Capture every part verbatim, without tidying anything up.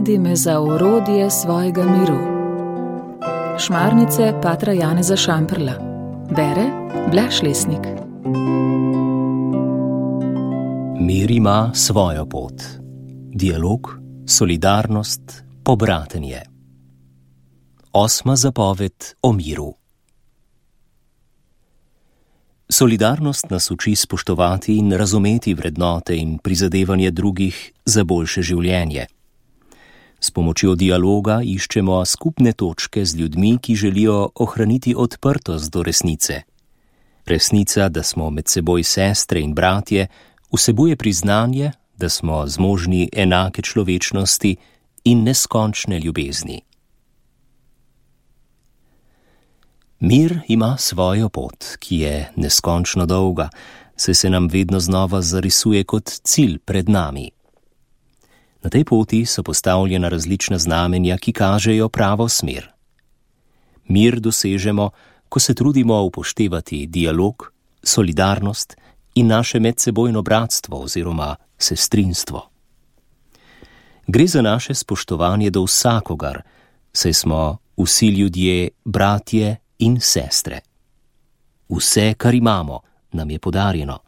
Navedi me za orodje svojega miru. Šmarnice patra Janeza Šamprla. Bere Blaž Lesnik. Mir ima svojo pot. Dialog, solidarnost, pobratenje. Osma zapoved o miru. Solidarnost nas uči spoštovati in razumeti vrednote in prizadevanje drugih za boljše življenje. S pomočjo dialoga iščemo skupne točke z ljudmi, ki želijo ohraniti odprtost do resnice. Resnica, da smo med seboj sestre in bratje, vsebuje priznanje, da smo zmožni enake človečnosti in neskončne ljubezni. Mir ima svojo pot, ki je neskončno dolga, saj se nam vedno znova zarisuje kot cilj pred nami. Na tej poti so postavljena različna znamenja, ki kažejo pravo smer. Mir dosežemo, ko se trudimo upoštevati dialog, solidarnost in naše medsebojno bratstvo oziroma sestrinstvo. Gre za naše spoštovanje do vsakogar, saj smo vsi ljudje bratje in sestre. Vse, kar imamo, nam je podarjeno.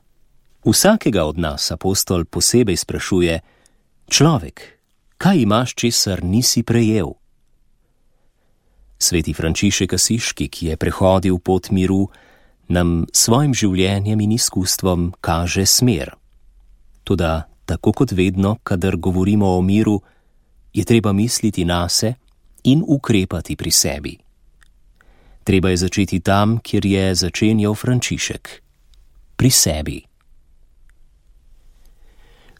Vsakega od nas apostol posebej sprašuje: človek, kaj imaš, česar nisi prejel? Sveti Frančišek Asiški, ki je prehodil pot miru, nam svojim življenjem in izkustvom kaže smer. Toda, tako kot vedno, kadar govorimo o miru, je treba misliti nase in ukrepati pri sebi. Treba je začeti tam, kjer je začenjal Frančišek, pri sebi.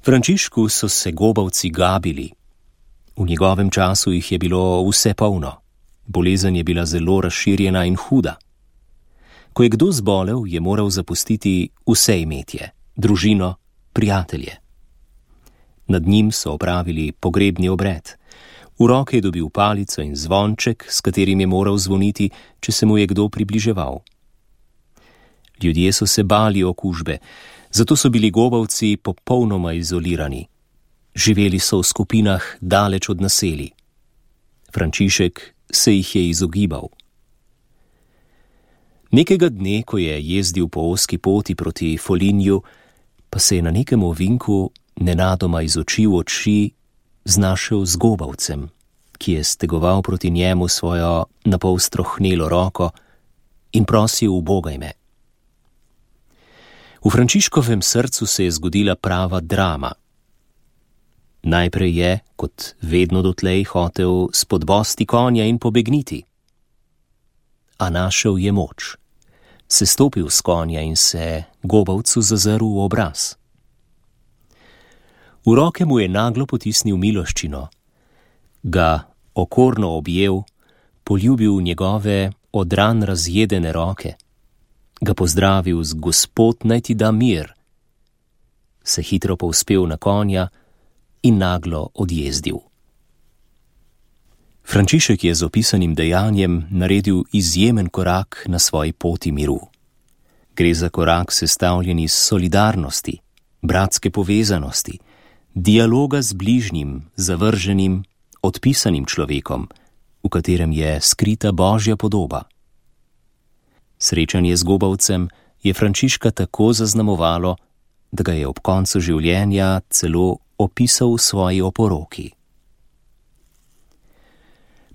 Frančišku so se gobavci gabili. V njegovem času jih je bilo vse polno. Bolezen je bila zelo razširjena in huda. Ko je kdo zbolel, je moral zapustiti vse imetje, družino, prijatelje. Nad njim so opravili pogrebni obred. V roke je dobil palico in zvonček, s katerim je moral zvoniti, če se mu je kdo približeval. Ljudje so se bali okužbe, zato so bili gobavci popolnoma izolirani. Živeli so v skupinah daleč od naselij. Frančišek se jih je izogibal. Nekega dne, ko je jezdil po ozki poti proti Folinju, pa se je na nekem ovinku nenadoma iz oči v oči znašel z gobavcem, ki je stegoval proti njemu svojo napol strohnelo roko in prosil: ubogaj me. V Frančiškovem srcu se je zgodila prava drama. Najprej je, kot vedno dotlej, hotel spodbosti konja in pobegniti. A našel je moč. Sestopil s konja in se gobavcu zazrl v obraz. V roke mu je naglo potisnil miloščino, ga okorno objel, poljubil njegove odran razjedene roke, ga pozdravil z Gospod naj ti da mir, se hitro povzpel na konja in naglo odjezdil. Frančišek je z opisanim dejanjem naredil izjemen korak na svoji poti miru. Gre za korak sestavljen iz solidarnosti, bratske povezanosti, dialoga z bližnjim, zavrženim, odpisanim človekom, v katerem je skrita Božja podoba. Srečanje z gobavcem je Frančiška tako zaznamovalo, da ga je ob koncu življenja celo opisal v svoji oporoki.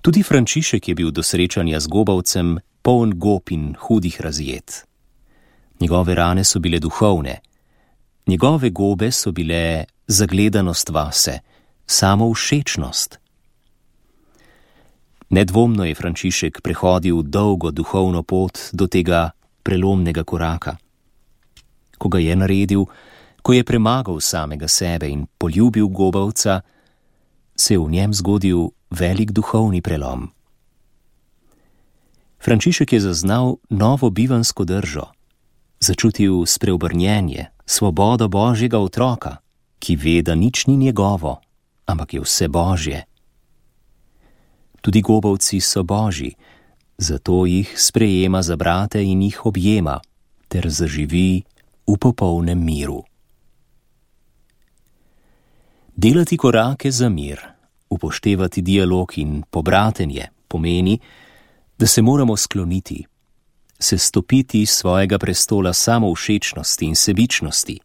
Tudi Frančišek je bil do srečanja z gobavcem poln gob in hudih razjed. Njegove rane so bile duhovne, njegove gobe so bile zagledanost vase, samovšečnost. Nedvomno je Frančišek prehodil dolgo duhovno pot do tega prelomnega koraka. Ko ga je naredil, ko je premagal samega sebe in poljubil gobavca, se je v njem zgodil velik duhovni prelom. Frančišek je zaznal novo bivansko držo, začutil spreobrnjenje, svobodo Božjega otroka, ki ve, da nič ni njegovo, ampak je vse Božje. Tudi gobavci so Božji, zato jih sprejema za brate in jih objema, ter zaživi v popolnem miru. Delati korake za mir, upoštevati dialog in pobratenje pomeni, da se moramo skloniti, se stopiti iz svojega prestola samovšečnosti in sebičnosti,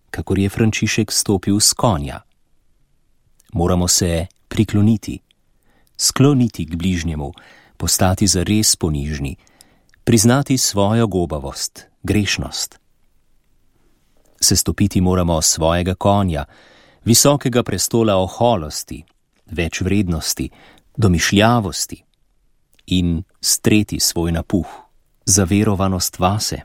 kakor je Frančišek stopil s konja. Moramo se prikloniti, skloniti k bližnjemu, postati zares ponižni, priznati svojo gobavost, grešnost. Sestopiti moramo svojega konja, visokega prestola oholosti, večvrednosti, domišljavosti in streti svoj napuh, zaverovanost vase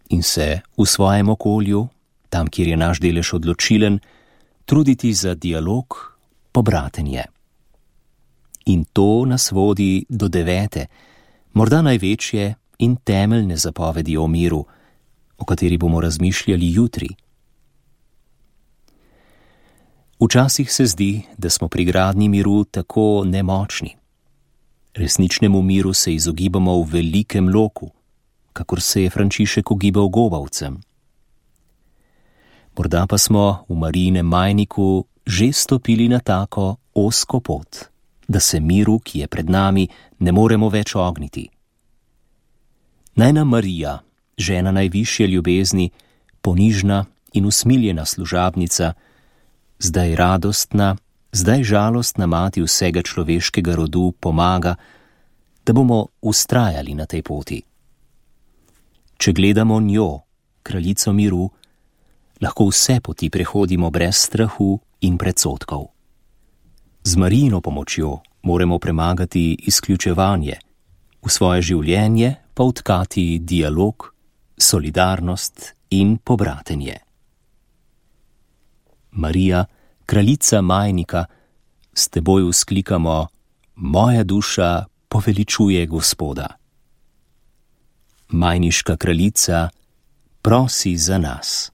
in se v svojem okolju, tam, kjer je naš delež odločilen, truditi za dialog, pobratenje. In to nas vodi do devete, morda največje in temeljne zapovedi o miru, o kateri bomo razmišljali jutri. Včasih se zdi, da smo pri gradnji miru tako nemočni. Resničnemu miru se izogibamo v velikem loku, kakor se je Frančišek ogibal gobavcem. Morda pa smo v Marijinem majniku že stopili na tako ozko pot, da se miru, ki je pred nami, ne moremo več ogniti. Naj nam Marija, žena najvišje ljubezni, ponižna in usmiljena služabnica, zdaj radostna, zdaj žalostna mati vsega človeškega rodu pomaga, da bomo vztrajali na tej poti. Če gledamo njo, kraljico miru, lahko vse poti prehodimo brez strahu in predsodkov. Z Marijino pomočjo moramo premagati izključevanje, v svoje življenje pa vtkati dialog, solidarnost in pobratenje. Marija, kraljica majnika, s teboj vzklikamo: moja duša poveličuje Gospoda. Majniška kraljica, prosi za nas.